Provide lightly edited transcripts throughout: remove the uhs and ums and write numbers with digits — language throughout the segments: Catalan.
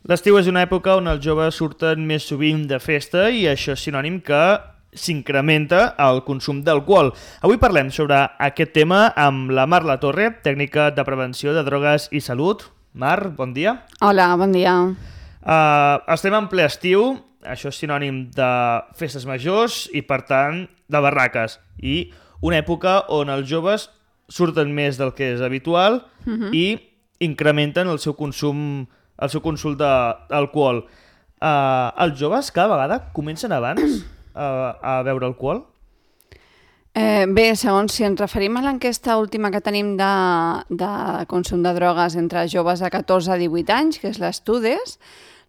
L'estiu és una època on els joves surten més sovint de festa i això és sinònim que s'incrementa el consum d'alcohol. Avui parlem sobre aquest tema amb la Mar Latorre, tècnica de prevenció de drogues i salut. Mar, bon dia. Hola, bon dia. Estem en ple estiu, això és sinònim de festes majors i, per tant, de barraques. I una època on els joves surten més del que és habitual i incrementen el seu consum d'alcohol. Els joves cada vegada comencen abans a beure alcohol? Bé, segons si ens referim a l'enquesta última que tenim de consum de drogues entre joves de 14 a 18 anys, que és l'Estudes,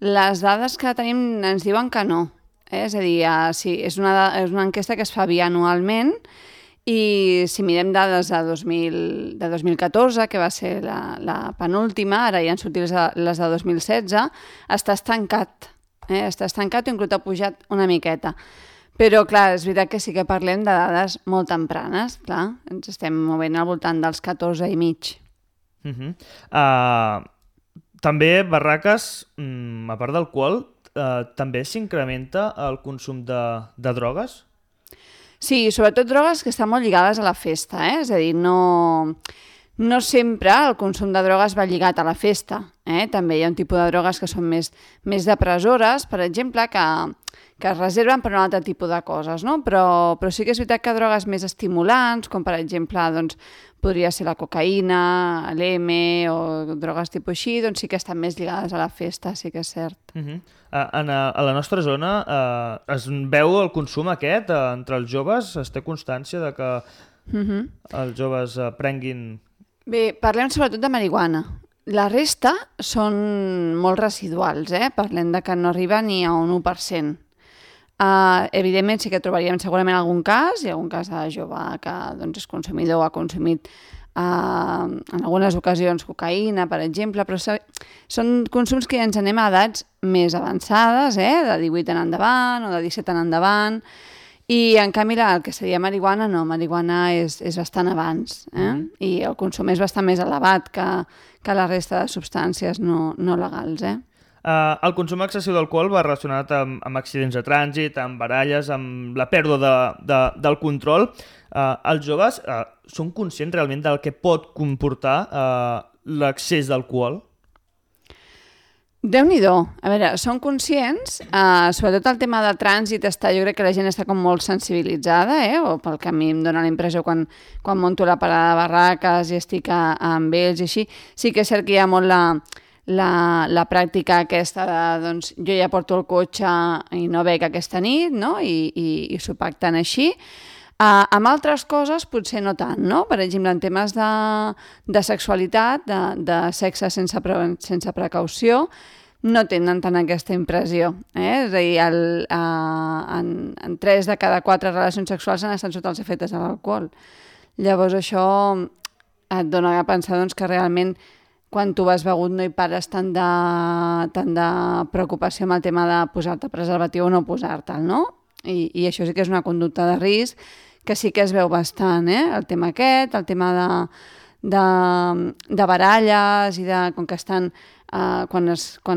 les dades que tenim ens diuen que no. És a dir, sí, és una enquesta que es fa bianualment i si mirem dades de 2014, que va ser la penúltima, ara ja han sortit les de 2016, està estancat. Està estancat o inclús ha pujat una miqueta. Però, clar, és veritat que sí que parlem de dades molt tempranes, clar. Ens estem movent al voltant dels 14 i mig. També, barraques, a part d'alcohol, també s'incrementa el consum de drogues? Sí, sobretot drogues que estan molt lligades a la festa, És a dir, no sempre el consum de drogues va lligat a la festa. També hi ha un tipus de drogues que són més depressores, per exemple, que es reserven per un altre tipus de coses, no? Però sí que és veritat que drogues més estimulants, com per exemple doncs, podria ser la cocaïna, l'M o drogues tipus així, doncs sí que estan més lligades a la festa, sí que és cert. A la nostra zona es veu el consum aquest entre els joves? Es té constància de que els joves prenguin... Bé, parlem sobretot de marihuana. La resta són molt residuals, Parlem de que no arriba ni a un 1%. Evidentment sí que trobaríem segurament algun cas, hi ha algun cas de jove que doncs, és consumidor o ha consumit en algunes ocasions cocaïna, per exemple, però són consums que ja ens anem a edats més avançades, de 18 en endavant o de 17 en endavant, i en canvi el que seria marihuana, no, marihuana és bastant abans, i el consum és bastant més elevat que la resta de substàncies no legals, El consum excessiu d'alcohol va relacionat amb accidents de trànsit, amb baralles, amb la pèrdua del control. Els joves són conscients realment del que pot comportar l'excés d'alcohol? Déu-n'hi-do. A veure, són conscients, sobretot el tema del trànsit jo crec que la gent està com molt sensibilitzada, o pel que a mi em dóna la impressió quan monto la parada de barraques i estic amb ells i així, sí que és cert que hi ha molt la pràctica aquesta de, doncs, jo ja porto el cotxe i no bec aquesta nit, no? I s'ho pacten així. Amb altres coses potser no tant, no? Per exemple, en temes de sexualitat, de sexe sense precaució, no tenen tant aquesta impressió. És a dir, en 3 de cada 4 relacions sexuals han estat sota els efectes de l'alcohol. Llavors això et dona a pensar doncs, que realment quan tu vas begut no hi pares tant de preocupació amb el tema de posar-te preservatiu o no posar-te'l, no? I això sí que és una conducta de risc que sí que es veu bastant, el tema aquest, el tema de baralles i com que estan, quan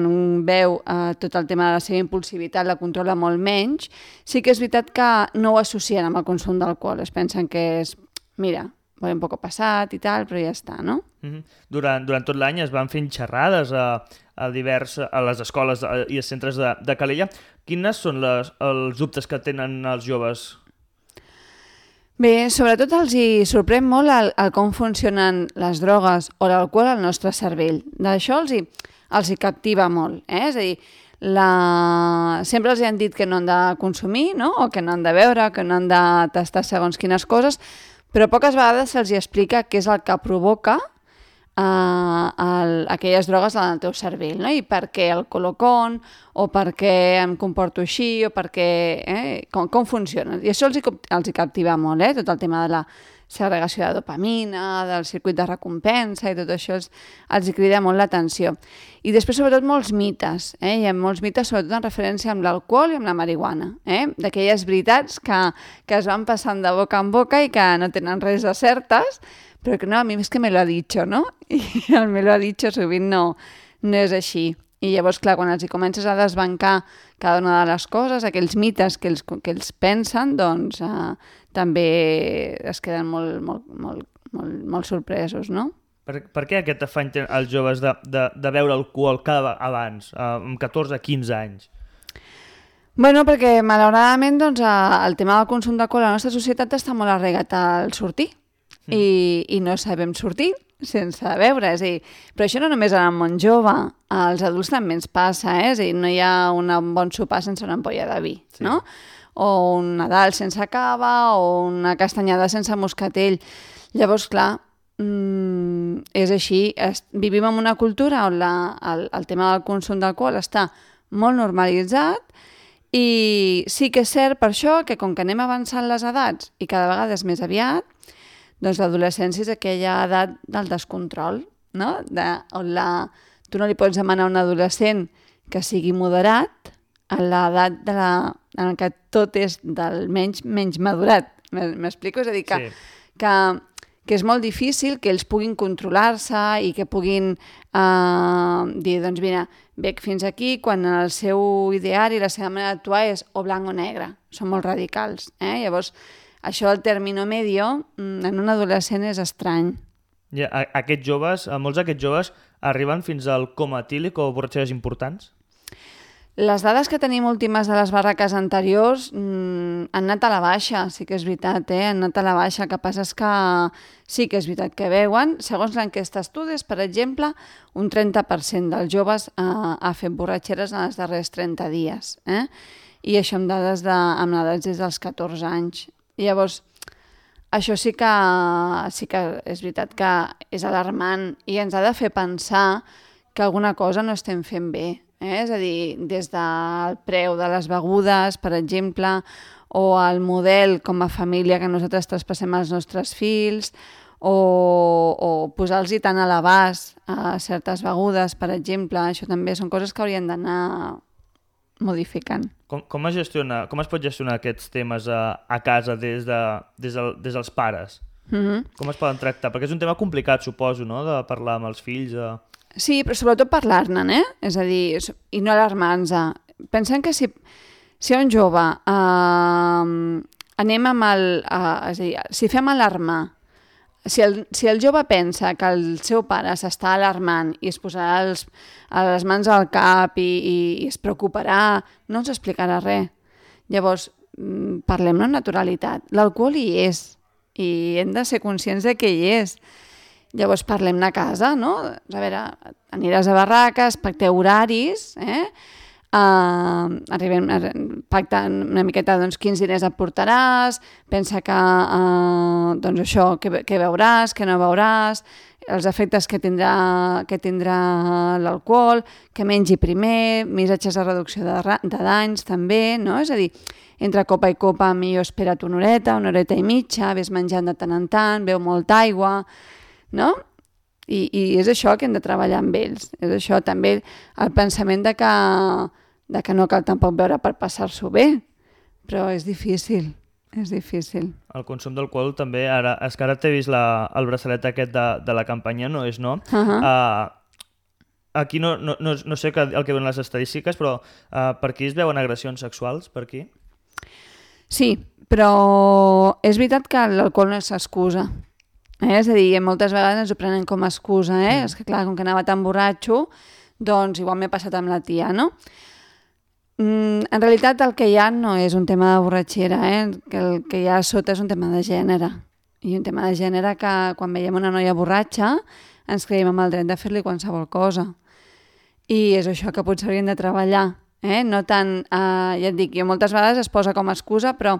un veu tot el tema de la seva impulsivitat la controla molt menys, sí que és veritat que no ho associen amb el consum d'alcohol, es pensen que és, mira, va un poc passat i tal, però ja està, no? Durant tot l'any es van fent xerrades a les escoles i als centres de Calella. Quines són els dubtes que tenen els joves? Bé, sobretot els hi sorprèn molt el com funcionen les drogues o l'alcohol al nostre cervell. D'això els hi captiva molt, És a dir, sempre els han dit que no han de consumir, no? O que no han de beure, que no han de tastar segons quines coses, però poques vegades se'ls explica què és el que provoca aquelles drogues en el teu cervell, no? I per què el col·locon, o per què em comporto així, o per què... com funciona. I això els hi captiva molt, tot el tema de la segregació de dopamina, del circuit de recompensa i tot això els crida molt l'atenció. I després, sobretot, molts mites. Hi ha molts mites, sobretot en referència amb l'alcohol i amb la marihuana. D'aquelles veritats que es van passant de boca en boca i que no tenen res de certes, però que no, a mi és que me lo ha dicho, no? I el me lo ha dicho sovint no és així. I llavors, clar, quan els hi comences a desbancar cada una de les coses, aquells mites que ells pensen, doncs també es queden molt sorpresos, no? Per què aquest afany tenen els joves de beure alcohol cada abans, amb 14-15 anys? Bueno, perquè malauradament doncs, el tema del consum d'alcohol a la nostra societat està molt arraigat al sortir i no sabem sortir sense beure, és a dir, però això no només en el món jove, als adults també ens passa, és a dir, no hi ha un bon sopar sense una ampolla de vi, no? O un Nadal sense cava, o una castanyada sense moscatell. Llavors, clar, és així, vivim en una cultura on el tema del consum d'alcohol està molt normalitzat i sí que és cert per això que com que anem avançant les edats i cada vegada és més aviat, doncs l'adolescència és aquella edat del descontrol, no? On tu no li pots demanar a un adolescent que sigui moderat a l'edat en què tot és del menys madurat. M'explico? És a dir, que és molt difícil que ells puguin controlar-se i que puguin dir, doncs mira, bec fins aquí, quan el seu ideari, la seva manera d'actuar és o blanc o negre. Són molt radicals. Llavors, això del término medio en un adolescent és estrany. Aquests joves, molts d'aquests joves arriben fins al coma etílic o borratxeres importants? Les dades que tenim últimes de les barraques anteriors han anat a la baixa, sí que és veritat, han anat a la baixa. El que passa és que sí que és veritat que veuen. Segons l'enquesta Estudis, per exemple, un 30% dels joves ha fet borratxeres en els darrers 30 dies. I això amb dades des dels 14 anys. Llavors, això sí que és veritat que és alarmant i ens ha de fer pensar que alguna cosa no estem fent bé. És a dir, des del preu de les begudes, per exemple, o el model com a família que nosaltres traspassem als nostres fills, o posar-los tant a l'abast a certes begudes, per exemple. Això també són coses que haurien d'anar modificant. Com es pot gestionar aquests temes a casa des dels pares? Com es poden tractar? Perquè és un tema complicat, suposo, no?, de parlar amb els fills. Sí, però sobretot parlar-ne, És a dir, i no alarmar-nos. Pensem que si un jove anem amb és a dir, si fem alarmar, si el jove pensa que el seu pare s'està alarmant i es posarà les mans al cap i es preocuparà, no ens explicarà res. Llavors, parlem-ne amb naturalitat. L'alcohol hi és i hem de ser conscients de que hi és. Llavors parlem-ne a casa, no? A veure, aniràs a barraques, pacteu horaris, arribem pactant una miqueta quins diners et portaràs, pensa que doncs això, què beuràs, què no beuràs, els efectes que tindrà l'alcohol, que mengi primer, missatges de reducció de danys també, no? És a dir, entre copa i copa millor espera't una horeta i mitja, ves menjant de tant en tant, beu molta aigua, no? I és això que hem de treballar amb ells. És això també el pensament de que no cal tampoc beure per passar-s'ho bé, però és difícil. El consum d'alcohol també, ara t'he vist el braçalet aquest de la campanya No és no. Aquí no sé el que donen les estadístiques, però per aquí es veuen agressions sexuals, per aquí? Sí, però és veritat que l'alcohol no és excusa. És a dir, moltes vegades ens ho prenen com a excusa. És que clar, com que anava tan borratxo, doncs igual m'he passat amb la tia, no? En realitat el que hi ha no és un tema de borratxera, que el que hi ha a sota és un tema de gènere. I un tema de gènere que quan veiem una noia borratxa ens creiem amb el dret de fer-li qualsevol cosa. I és això que potser hauríem de treballar. No tant, ja et dic, jo moltes vegades es posa com a excusa, però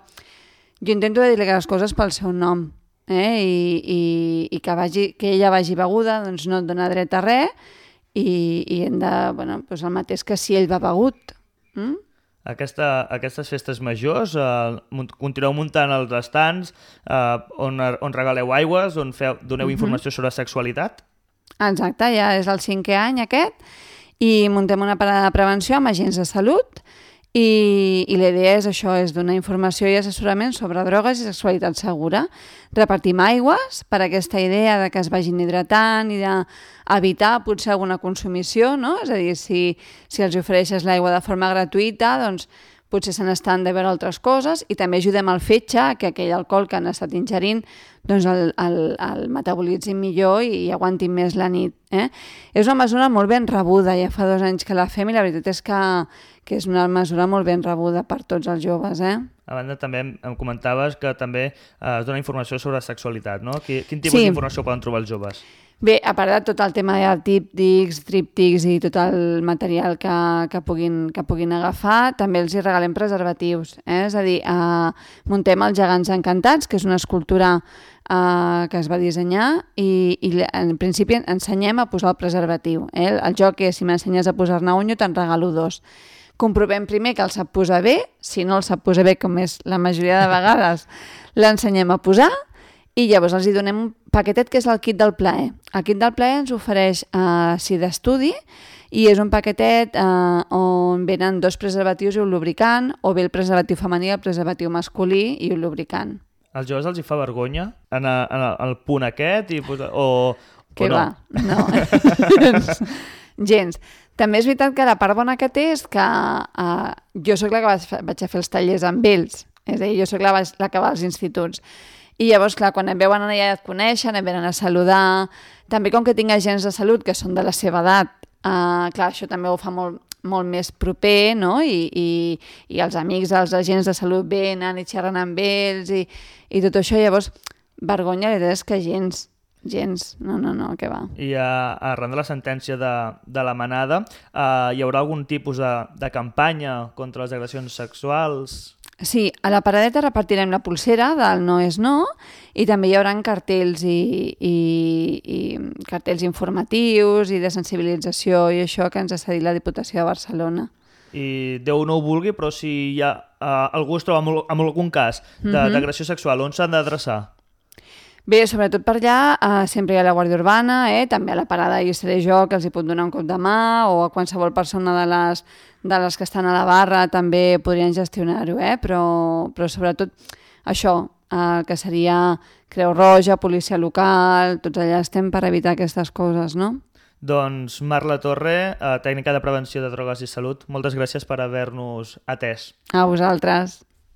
jo intento dir-li les coses pel seu nom. I que ella vagi beguda doncs no et dona dret a res i hem de, el mateix que si ell va begut. Aquestes festes majors continueu muntant els estants on regaleu aigües, on doneu informació sobre sexualitat? Exacte, ja és el 5è any aquest i muntem una parada de prevenció amb agents de salut I la idea és això, és donar informació i assessorament sobre drogues i sexualitat segura. Repartim aigües per aquesta idea de que es vagin hidratant i d'evitar potser alguna consumició, no? És a dir, si els ofereixes l'aigua de forma gratuïta, doncs potser se n'estan de veure altres coses, i també ajudem al fetge que aquell alcohol que han estat ingerint doncs el metabolitzin millor i aguantin més la nit. És una mesura molt ben rebuda, ja fa 2 anys que la fem i la veritat és que és una mesura molt ben rebuda per tots els joves. A banda, també em comentaves que també es dona informació sobre sexualitat, no? Quin tipus d'informació poden trobar els joves? Bé, a part de tot el tema de típtics, tríptics i tot el material que puguin agafar, també els hi regalem preservatius. És a dir, muntem els Gegants Encantats, que és una escultura que es va dissenyar, i en principi ensenyem a posar el preservatiu. El joc és, si m'ensenyes a posar-ne un, jo te'n regalo 2. Comprovem primer que el sap posar bé, si no el sap posar bé, com és la majoria de vegades, l'ensenyem a posar, i llavors els hi donem un paquetet que és el kit del plaer. El kit del plaer ens ofereix SID d'estudi i és un paquetet on venen 2 preservatius i un lubricant, o bé el preservatiu femení, el preservatiu masculí i un lubricant. Als joves els hi fa vergonya en el punt aquest? Què va? No. Gens. També és veritat que la part bona que té és que jo sóc la que vaig a fer els tallers amb ells. És a dir, jo sóc la que va als instituts. I llavors, clar, quan em veuen allà et coneixen, em venen a saludar. També com que tinc agents de salut que són de la seva edat, clar, això també ho fa molt més proper, no? I els amics dels agents de salut venen i xerren amb ells i tot això. Llavors, vergonya, la veritat és que gens. No, què va. I arran de la sentència de la Manada, hi haurà algun tipus de campanya contra les agressions sexuals? Sí, a la paradeta repartirem la pulsera del no és no, i també hi haurà cartells i cartells informatius i de sensibilització i això que ens ha cedit la Diputació de Barcelona. I Déu no ho vulgui, però si hi ha algú es troba en algun cas d'agressió sexual, on s'han d'adreçar? Bé, sobretot per allà sempre hi ha la Guàrdia Urbana, també a la parada hi seré jo, que els hi pot donar un cop de mà, o a qualsevol persona de les que estan a la barra també podrien gestionar-ho, però sobretot això, que seria Creu Roja, policia local, tots allà estem per evitar aquestes coses, no? Doncs Marla Torre, tècnica de prevenció de drogues i salut, moltes gràcies per haver-nos atès. A vosaltres.